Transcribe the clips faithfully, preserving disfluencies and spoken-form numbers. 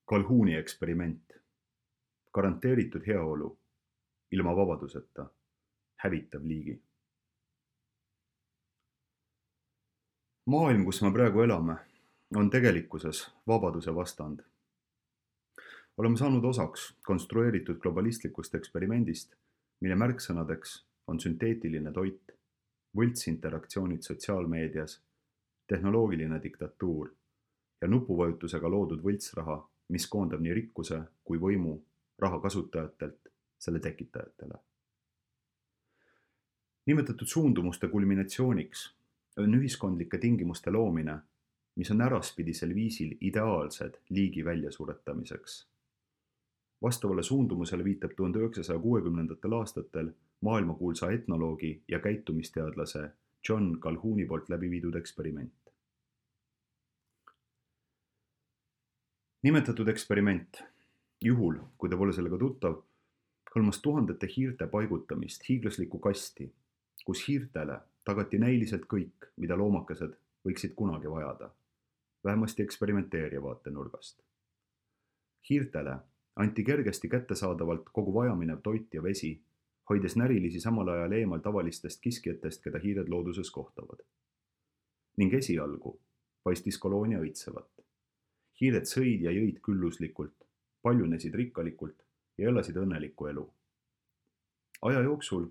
Calhouni eksperiment. Garanteeritud heaolu, ilma vabaduseta, hävitav liigi. Maailm, kus me praegu elame, on tegelikkuses vabaduse vastand. Oleme saanud osaks konstrueeritud globalistlikust eksperimendist, mille märksõnadeks on sünteetiline toit, võltsinteraktsioonid sotsiaalmeedias, tehnoloogiline diktatuur ja nupuvajutusega loodud võltsraha, mis koondab nii rikkuse kui võimu raha kasutajatelt selle tekitajatele. Nimetatud suundumuste kulminatsiooniks on ühiskondlike tingimuste loomine, mis on äraspidisel viisil ideaalsed liigi väljasuretamiseks. Vastavale suundumusele viitab tuhande üheksasaja kuuekümnendatel aastatel maailmakuulsa etnoloogi ja käitumisteadlase John Calhouni poolt läbi viidud eksperiment. Nimetatud eksperiment, juhul, kui te pole sellega tuttav, hõlmas tuhandete hiirte paigutamist hiiglaslikku kasti, kus hiirtele tagati näiliselt kõik, mida loomakesed võiksid kunagi vajada, vähemasti eksperimenteerija vaatenurgast. Hiirtele anti kergesti kättesaadavalt kogu vajaminev toit ja vesi, hoides närilisi samal ajal eemal tavalistest kiskjatest, keda hiired looduses kohtavad. Ning esialgu paistis koloonia õitsevat. Hiired sõid ja jõid külluslikult, paljunesid rikkalikult ja elasid õnnelikku elu. Aja jooksul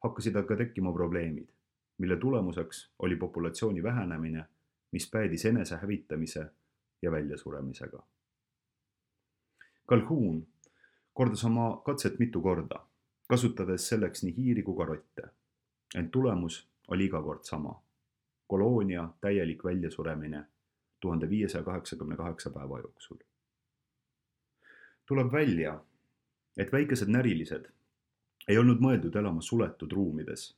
hakkasid aga tekkima probleemid, mille tulemuseks oli populatsiooni vähenemine, mis päädis enese hävitamise ja väljasuremisega. Calhoun kordas oma katset mitu korda, kasutades selleks nii hiiri kui ka rotte, ent tulemus oli iga kord sama. Koloonia täielik väljasuremine tuhande viiesaja kaheksakümne kaheksa päeva jooksul. Tuleb välja, et väikesed närilised ei olnud mõeldud elama suletud ruumides,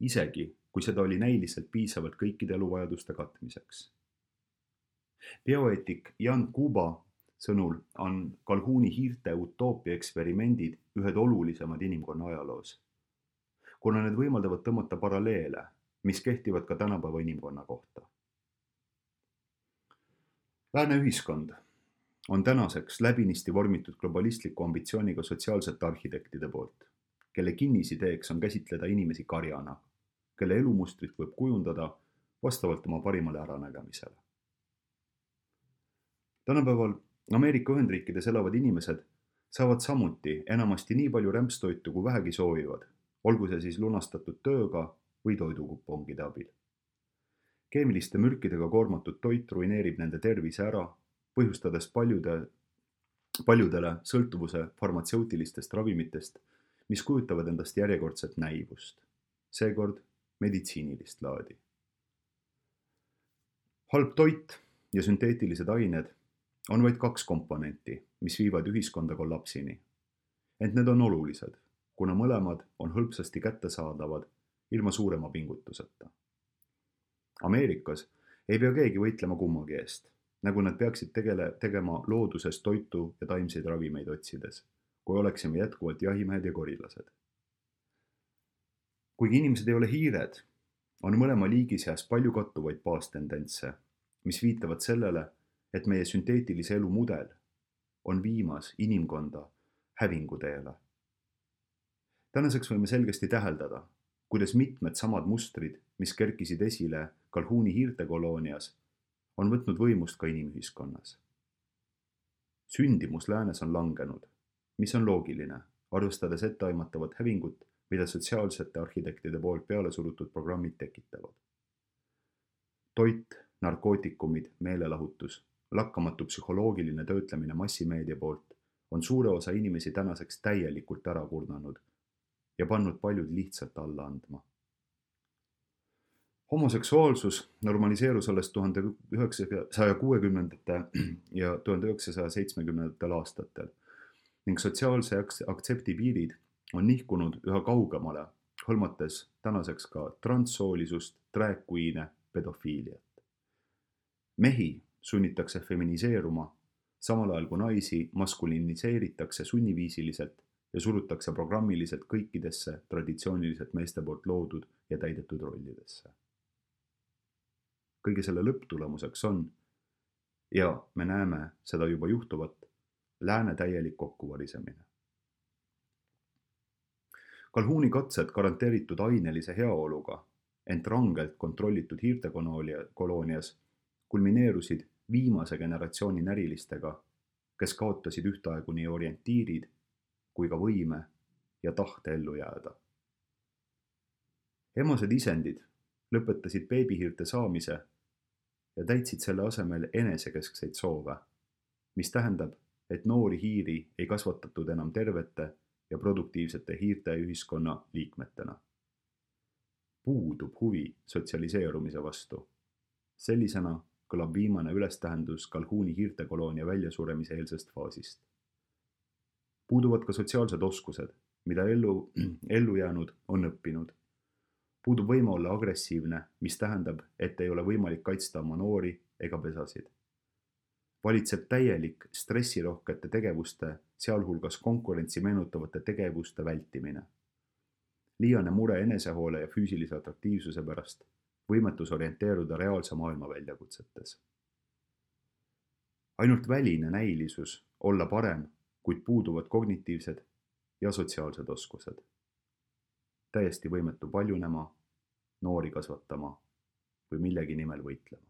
isegi kui seda oli näiliselt piisavalt kõikide eluvajaduste katmiseks. Bioeetik Jan Kuba sõnul on Calhouni hiirte utoopia eksperimendid ühed olulisemad inimkonna ajaloos, kuna need võimaldavad tõmmata paralleele, mis kehtivad ka tänapäeva inimkonna kohta. Lääne ühiskond on tänaseks läbinisti vormitud globalistliku ambitsiooniga sotsiaalsete arhitektide poolt, kelle kinnisideeks on käsitleda inimesi karjana, kelle elumustrit võib kujundada vastavalt oma parimale äranägemisele. Tänapäeval Ameerika Ühendriikides elavad inimesed saavad samuti enamasti nii palju rämpstoitu kui vähegi soovivad, olgu see siis lunastatud tööga või toidukupongide abil. Keemiliste mürkidega koormatud toit ruineerib nende tervise ära, põhjustades paljude, paljudele sõltuvuse farmatseutilistest ravimitest, mis kujutavad endast järjekordset näivust, seekord meditsiinilist laadi. Halb toit ja sünteetilised ained on vaid kaks komponenti, mis viivad ühiskonda kollapsini. Ent need on olulised, kuna mõlemad on hõlpsasti kättesaadavad ilma suurema pingutuseta. Ameerikas ei pea keegi võitlema kummagi eest, nagu nad peaksid tegele, tegema looduses toitu ja taimseid ravimeid otsides, kui oleksime jätkuvalt jahimehed ja korilased. Kuigi inimesed ei ole hiired, on mõlema liigi seas palju kattuvaid baastendentse, mis viitavad sellele, et meie sünteetilise elu mudel on viimas inimkonda hävinguteele. Tänaseks võime selgesti täheldada, kuidas mitmed samad mustrid, mis kerkisid esile Calhouni hiirtekoloonias, on võtnud võimust ka inimühiskonnas. Sündimus läänes on langenud, mis on loogiline, arvestades etteaimatavat hävingut, mida sotsiaalsete arhitektide poolt peale surutud programmid tekitavad. Toit, narkootikumid, meelelahutus, lakkamatu psühholoogiline töötlemine massimeedia poolt on suure osa inimesi tänaseks täielikult ära kurnanud ja pannud paljud lihtsalt alla andma. Homoseksuaalsus normaliseerus alles tuhande üheksasaja kuuekümnendate ja tuhande üheksasaja seitsmekümnendatel aastatel ning sotsiaalse aktsepti piirid on nihkunud üha kaugemale, hõlmates tänaseks ka transsoolisust, drag queen'e, pedofiiliat. Mehi sunnitakse feminiseeruma, samal ajal kui naisi maskuliniseeritakse sunniviisiliselt ja surutakse programmiliselt kõikidesse traditsiooniliselt meeste poolt loodud ja täidetud rollidesse. Kõige selle lõpptulemuseks on, ja me näeme seda juba juhtuvat, lääne täielik kokkuvarisemine. Calhouni katsed garanteeritud ainelise heaoluga, ent rangelt kontrollitud hiirtekoloonias kulmineerusid viimase generatsiooni närilistega, kes kaotasid ühtaegu nii orientiirid kui ka võime ja tahte ellu jääda. Emased isendid lõpetasid beebihiirte saamise ja täitsid selle asemel enesekeskseid soove, mis tähendab, et noori hiiri ei kasvatatud enam tervete ja produktiivsete hiirte ühiskonna liikmetena. Puudub huvi sotsialiseerumise vastu. Sellisena kõlab viimane ülestähendus Calhouni hiirtekoloonia väljasuremise eelsest faasist. Puuduvad ka sotsiaalsed oskused, mida ellu, ellu jäänud on õppinud. Puudub võime olla agressiivne, mis tähendab, et ei ole võimalik kaitsta oma noori ega pesasid. Valitseb täielik stressirohkete tegevuste, sealhulgas konkurentsi meenutavate tegevuste vältimine. Liiane mure enesehoole ja füüsilise atraktiivsuse pärast, võimetus orienteeruda reaalse maailma väljakutsetes. Ainult väline näilisus olla parem, kuid puuduvad kognitiivsed ja sotsiaalsed oskused. Täiesti võimetu paljunema, noori kasvatama või millegi nimel võitlema.